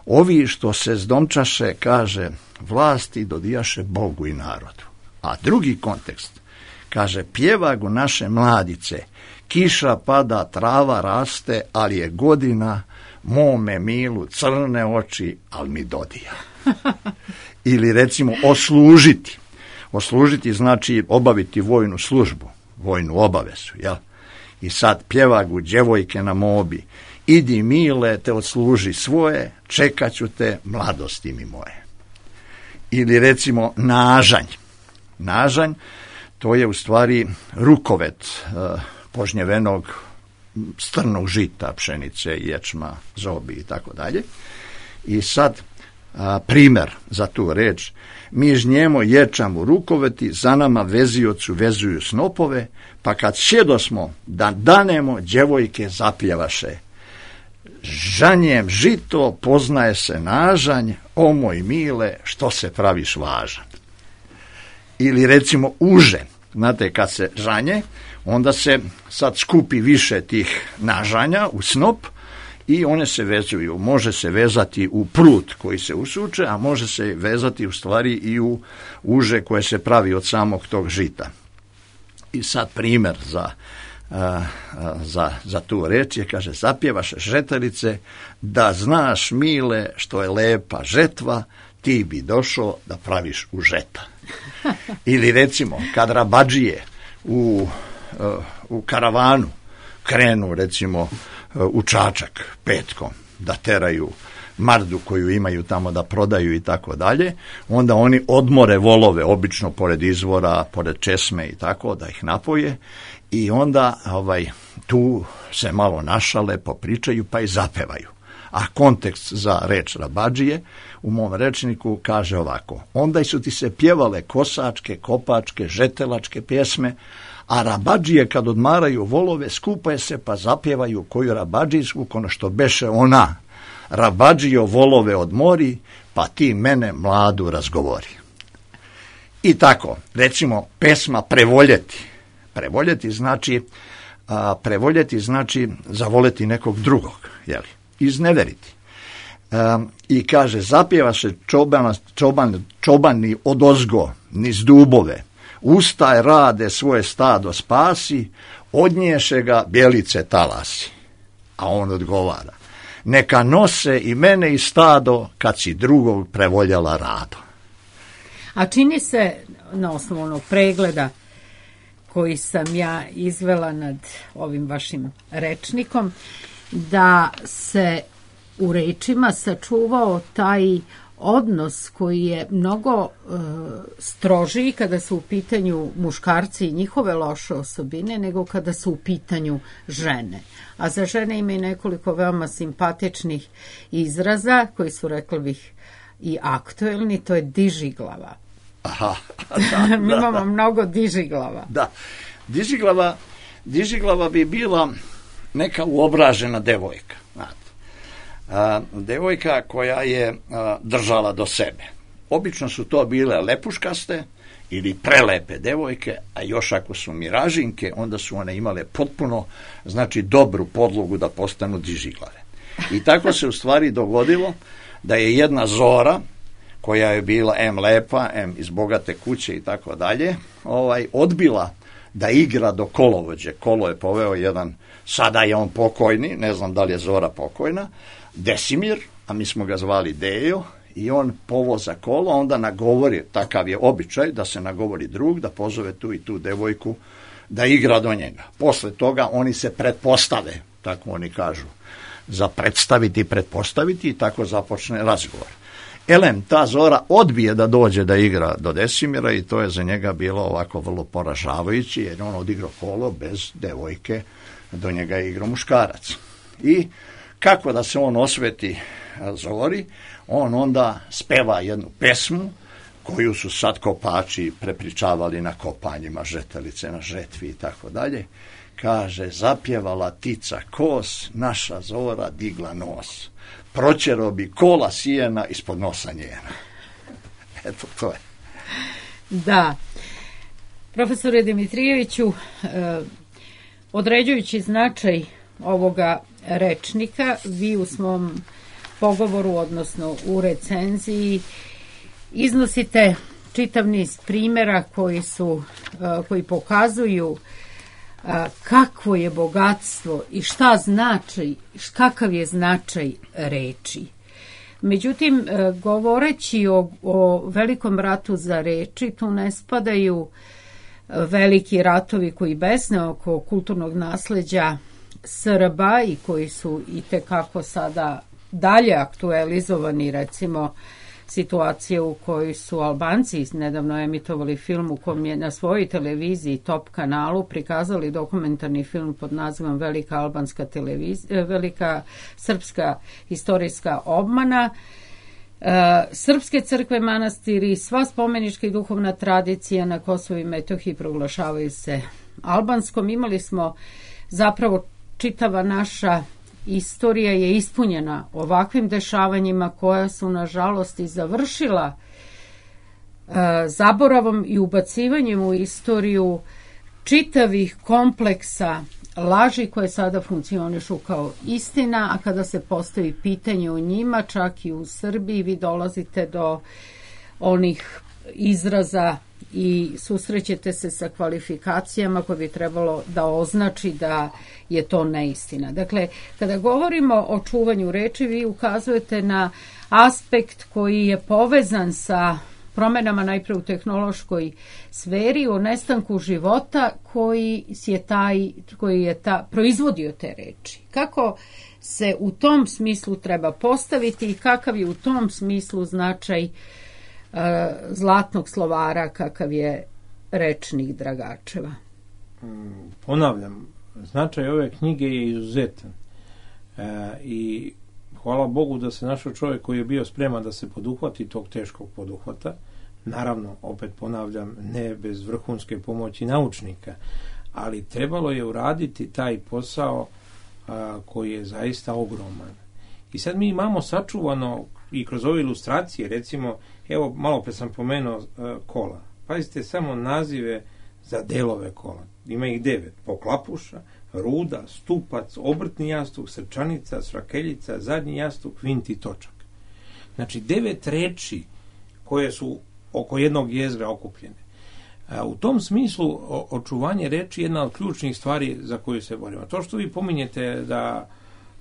Ovi što se zdomčaše, kaže, vlasti dodijaše Bogu i narodu. A drugi kontekst, kaže, pjevagu naše mladice, kiša pada, trava raste, ali je godina mome milu crne oči, ali mi dodija. Ili recimo oslužiti. Oslužiti znači obaviti vojnu službu, vojnu obavezu, jel? I sad pjevagu djevojke na mobi, idi mile, te odsluži svoje, čekat ću te, mladosti mi moje. Ili recimo nažanj. Nažanj, to je u stvari rukovet uh, požnjevenog strnog žita, pšenice, ječma, zobi i tako dalje. I sad uh, primjer za tu reč. Mi žnjemo ječam u rukoveti, za nama veziocu vezuju snopove, pa kad sjedosmo da danemo, djevojke zapjevaše. Žanjem žito poznaje se nažanj, o moj mile, što se praviš važan. Ili recimo uže, znate kad se žanje, onda se sad skupi više tih nažanja u snop i one se vezuju. Može se vezati u prut koji se usuče, a može se vezati u stvari i u uže koje se pravi od samog tog žita. I sad primjer za A, a, za, za tu reč je, kaže, zapjevaše žetarice, da znaš mile što je lepa žetva, ti bi došao da praviš u žeta. Ili recimo, kad Rabadžije u, u karavanu krenu recimo u Čačak petkom da teraju mardu koju imaju tamo da prodaju i tako dalje, onda oni odmore volove, obično pored izvora, pored česme i tako, da ih napoje i onda ovaj, tu se malo našale, popričaju pa i zapevaju. A kontekst za reč rabadžije u mom rečniku kaže ovako: onda su ti se pjevale kosačke, kopačke, žetelačke pjesme, a rabadžije kad odmaraju volove skupaju se pa zapjevaju koju rabadžijsku, kono što beše ona: rabadžijo volove odmori, pa ti mene mladu razgovori. I tako, recimo, pesma Prevoljeti. Prevoljeti znači, a, prevoljeti znači zavoljeti nekog drugog, jeli, izneveriti. A, I kaže, zapjeva se čobana, čoban, čobani odozgo niz dubove, ustaj rade svoje stado spasi, odnješe ga bjelice talasi. A on odgovara: neka nose i mene i stado kad si drugog prevoljela rado. A čini se, na osnovu onog pregleda koji sam ja izvela nad ovim vašim rečnikom, da se u rečima sačuvao taj odnos koji je mnogo e, strožiji kada su u pitanju muškarci i njihove loše osobine nego kada su u pitanju žene. A za žene ima i nekoliko veoma simpatičnih izraza koji su, rekla bih, i aktuelni, to je dižiglava. Aha, da, Mi da, imamo da. mnogo dižiglava. Da, dižiglava, dižiglava bi bila neka uobražena devojka, znate. A, devojka koja je a, držala do sebe. Obično su to bile lepuškaste ili prelepe devojke, a još ako su miražinke, onda su one imale potpuno, znači, dobru podlogu da postanu dižiglave. I tako se u stvari dogodilo da je jedna Zora, koja je bila em lepa, em iz bogate kuće i tako dalje, ovaj, odbila da igra do kolovođe. Kolo je poveo jedan, sada je on pokojni, ne znam da li je Zora pokojna, Desimir, a mi smo ga zvali Dejo, i on povoza kolo, onda nagovori, takav je običaj, da se nagovori drug, da pozove tu i tu devojku da igra do njega. Posle toga oni se pretpostave, tako oni kažu, za predstaviti i pretpostaviti, i tako započne razgovor. Elem, ta Zora odbije da dođe da igra do Desimira i to je za njega bilo ovako vrlo poražavajuće, jer on odigrao kolo bez devojke, do njega je igrao muškarac. I kako da se on osveti Zori, on onda speva jednu pesmu koju su sad kopači prepričavali na kopanjima, žetelice na žetvi i tako dalje. Kaže, zapjevala tica kos, naša Zora digla nos. Proćero bi kola sijena ispod nosa njena. Eto, to je. Da. Profesore Dimitrijeviću, eh, određujući značaj ovoga rečnika, vi u svom pogovoru, odnosno u recenziji, iznosite čitav niz primjera koji su, eh, koji pokazuju kakvo je bogatstvo i šta znači, kakav je značaj reči. Međutim, govoreći o, o velikom ratu za reči, tu ne spadaju veliki ratovi koji besne oko kulturnog nasleđa Srba i koji su i tekako sada dalje aktualizovani, recimo situacije u kojoj su Albanci nedavno emitovali film u kom je na svojoj televiziji Top kanalu prikazali dokumentarni film pod nazivom Velika albanska televizija, Velika srpska istorijska obmana. E, srpske crkve, manastiri, sva spomenička i duhovna tradicija na Kosovu i Metohiji proglašavaju se albanskom. Imali smo zapravo čitava naša istorija je ispunjena ovakvim dešavanjima koja su nažalost i završila e, zaboravom i ubacivanjem u istoriju čitavih kompleksa laži koje sada funkcionišu kao istina, a kada se postavi pitanje o njima, čak i u Srbiji, vi dolazite do onih izraza i susrećete se sa kvalifikacijama koje bi trebalo da označi da je to neistina. Dakle, kada govorimo o čuvanju reči, vi ukazujete na aspekt koji je povezan sa promenama najpre u tehnološkoj sferi, o nestanku života koji je taj, koji je ta, proizvodio te reči. Kako se u tom smislu treba postaviti i kakav je u tom smislu značaj e, zlatnog slovara kakav je rečnik Dragačeva? Ponavljam, značaj ove knjige je izuzetan e, i hvala Bogu da se našao čovjek koji je bio spreman da se poduhvati tog teškog poduhvata. Naravno, opet ponavljam, ne bez vrhunske pomoći naučnika, ali trebalo je uraditi taj posao a, koji je zaista ogroman. I sad mi imamo sačuvano i kroz ove ilustracije, recimo, evo, malo pre sam pomenuo a, kola. Pazite samo nazive za delove kola. Ima ih devet. Poklapuša, ruda, stupac, obrtni jastuk, srčanica, srakeljica, zadnji jastuk, vint i točak. Znači, devet reči koje su oko jednog jezgra okupljene. A, u tom smislu o, očuvanje reči je jedna od ključnih stvari za koju se borimo. To što vi pominjete da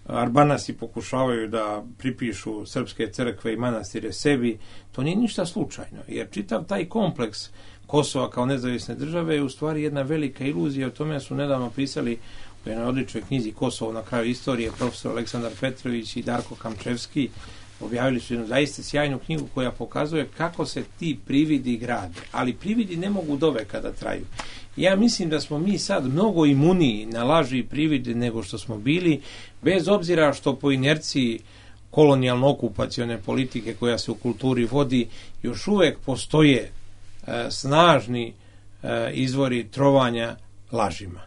Arbanasi pokušavaju da pripišu srpske crkve i manastire sebi, to nije ništa slučajno, jer čitav taj kompleks Kosova kao nezavisne države je u stvari jedna velika iluzija. O tome su nedavno pisali u jednoj odličnoj knjizi Kosovo na kraju istorije profesor Aleksandar Petrović i Darko Kamčevski. Objavili su jednu zaista sjajnu knjigu koja pokazuje kako se ti prividi grade, ali prividi ne mogu doveka da traju. Ja mislim da smo mi sad mnogo imuniji na laži i privide nego što smo bili, bez obzira što po inerciji kolonijalno-okupacione politike koja se u kulturi vodi, još uvek postoje e, snažni e, izvori trovanja lažima.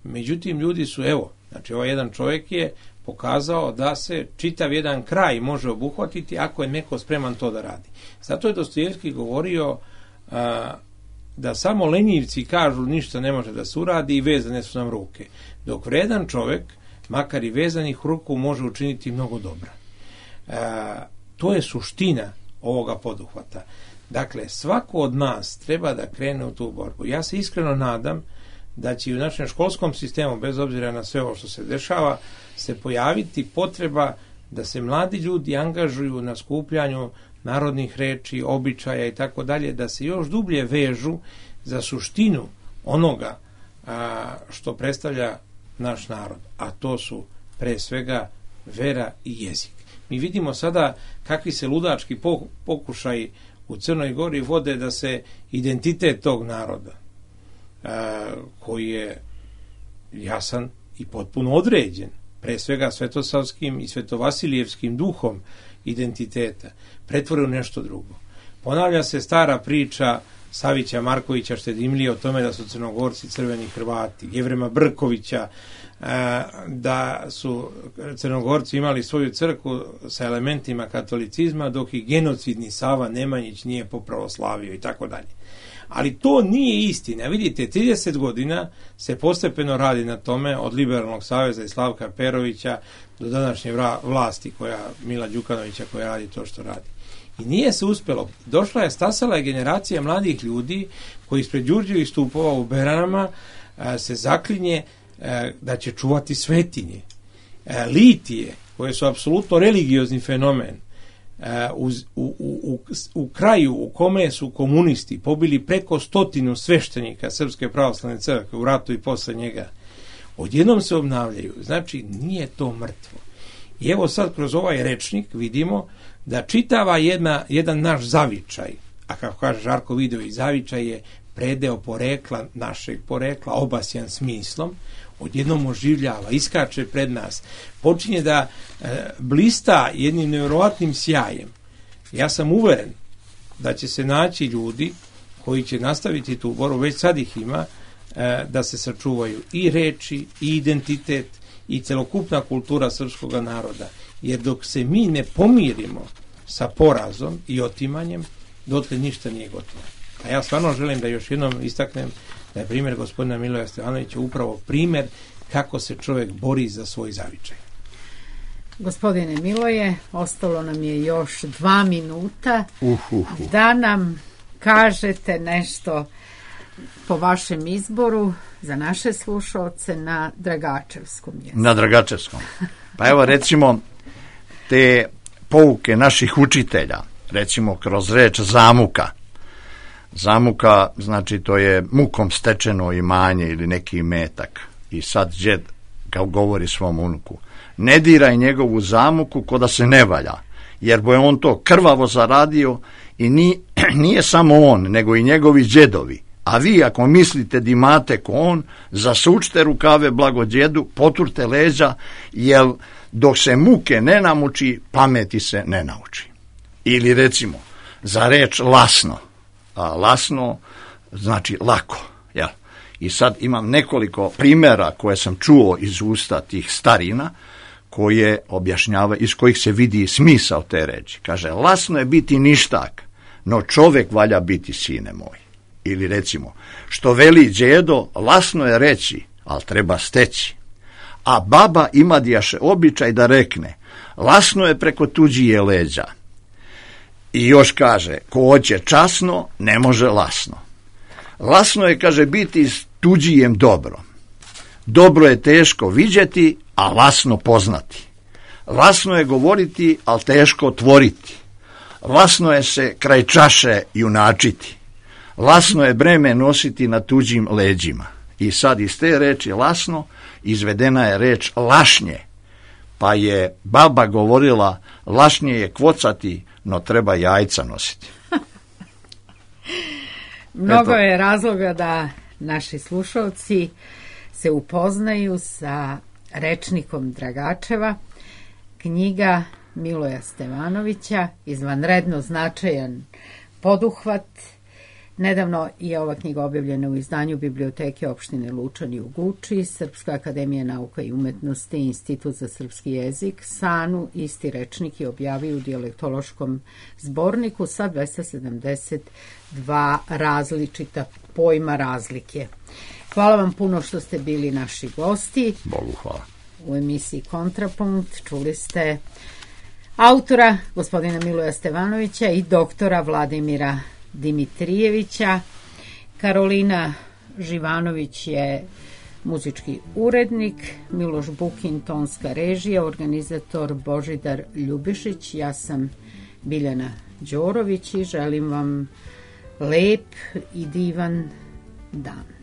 Međutim, ljudi su, evo, znači ovaj jedan čovjek je pokazao da se čitav jedan kraj može obuhvatiti ako je neko spreman to da radi. Zato je Dostojevski govorio a, da samo lenjivci kažu ništa ne može da se uradi i vezane su nam ruke. Dok vredan čovjek, makar i vezanih ruku, može učiniti mnogo dobra. A, to je suština ovoga poduhvata. Dakle, svako od nas treba da krene u tu borbu. Ja se iskreno nadam da će u našem školskom sistemu, bez obzira na sve ovo što se dešava, se pojaviti potreba da se mladi ljudi angažuju na skupljanju narodnih reči, običaja i tako dalje, da se još dublje vežu za suštinu onoga a, što predstavlja naš narod, a to su pre svega vera i jezik. Mi vidimo sada kakvi se ludački pokušaj u Crnoj Gori vode da se identitet tog naroda, a, koji je jasan i potpuno određen, pre svega svetosavskim i svetovasilijevskim duhom identiteta, pretvore u nešto drugo. Ponavlja se stara priča Savića Markovića Štedimlije o tome da su Crnogorci crveni Hrvati, Jevrema Brkovića, da su Crnogorci imali svoju crkvu sa elementima katolicizma, dok i genocidni Sava Nemanjić nije popravoslavio i tako dalje. Ali to nije istina. Vidite, trideset godina se postepeno radi na tome, od Liberalnog saveza i Slavka Perovića do današnje vlasti koja, Mila Đukanovića, koja radi to što radi. I nije se uspelo. Došla je, stasala je generacija mladih ljudi koji ispred Đurđevih stupova u Beranama a, se zaklinje a, da će čuvati svetinje. A, litije, koje su apsolutno religiozni fenomen, U, u, u, u kraju u kome su komunisti pobili preko stotinu sveštenika Srpske pravoslavne crkve u ratu i posle njega, odjednom se obnavljaju. Znači, nije to mrtvo. I evo sad kroz ovaj rečnik vidimo da čitava jedna, jedan naš zavičaj, a kako kaže Žarko Vidović, zavičaj je predeo porekla, našeg porekla, obasjan smislom, odjednom oživljava, iskače pred nas, počinje da e, blista jednim nevjerovatnim sjajem. Ja sam uveren da će se naći ljudi koji će nastaviti tu borbu, već sad ih ima, e, da se sačuvaju i reči, i identitet, i celokupna kultura srpskog naroda. Jer dok se mi ne pomirimo sa porazom i otimanjem, dotle ništa nije gotovo. A ja stvarno želim da još jednom istaknem da je primjer gospodina Miloja Stevanovića upravo primjer kako se čovjek bori za svoj zavičaj. Gospodine Miloje, ostalo nam je još dva minuta uh, uh, uh. da nam kažete nešto po vašem izboru za naše slušalce na Dragačevskom jeziku. Na Dragačevskom. Pa evo recimo te pouke naših učitelja, recimo kroz reč zamuka. Zamuka, znači to je mukom stečeno imanje ili neki imetak. I sad džed kao govori svom unuku: ne diraj njegovu zamuku ko da se ne valja, jer bo je on to krvavo zaradio i ni, nije samo on, nego i njegovi džedovi. A vi ako mislite da imate ko on, zasučite rukave blago djedu, poturte leđa, jer dok se muke ne namuči, pameti se ne nauči. Ili recimo, za reč lasno. A lasno znači lako. Jel? I sad imam nekoliko primjera koje sam čuo iz usta tih starina, koje objašnjava, iz kojih se vidi smisao te reči. Kaže, lasno je biti ništak, no čovjek valja biti, sine moj. Ili recimo, što veli djedo, lasno je reći, ali treba steći. A baba ima djaše običaj da rekne, lasno je preko tuđije leđa. I još kaže, ko hoće časno, ne može lasno. Lasno je, kaže, biti s tuđijem dobro. Dobro je teško vidjeti, a lasno poznati. Lasno je govoriti, ali teško tvoriti. Lasno je se kraj čaše junačiti. Lasno je breme nositi na tuđim leđima. I sad iz te reči lasno izvedena je reč lašnje. Pa je baba govorila, lašnje je kvocati, no treba jajca nositi. Mnogo Eto. je razloga da naši slušalci se upoznaju sa rečnikom Dragačeva. Knjiga Miloja Stevanovića, izvanredno značajan poduhvat. Nedavno je ova knjiga objavljena u izdanju Biblioteke opštine Lučani u Guči, Srpska akademija nauka i umetnosti, Institut za srpski jezik, Sanu, isti rečnik je objavio u dijalektološkom zborniku sa dvesta sedamdeset dva različita pojma razlike. Hvala vam puno što ste bili naši gosti. Bogu hvala. U emisiji Kontrapunkt čuli ste autora, gospodina Miloja Stevanovića, i doktora Vladimira Dimitrijevića. Karolina Živanović je muzički urednik, Miloš Bukin tonska režija, organizator Božidar Ljubišić. Ja sam Biljana Đorović i želim vam lep i divan dan.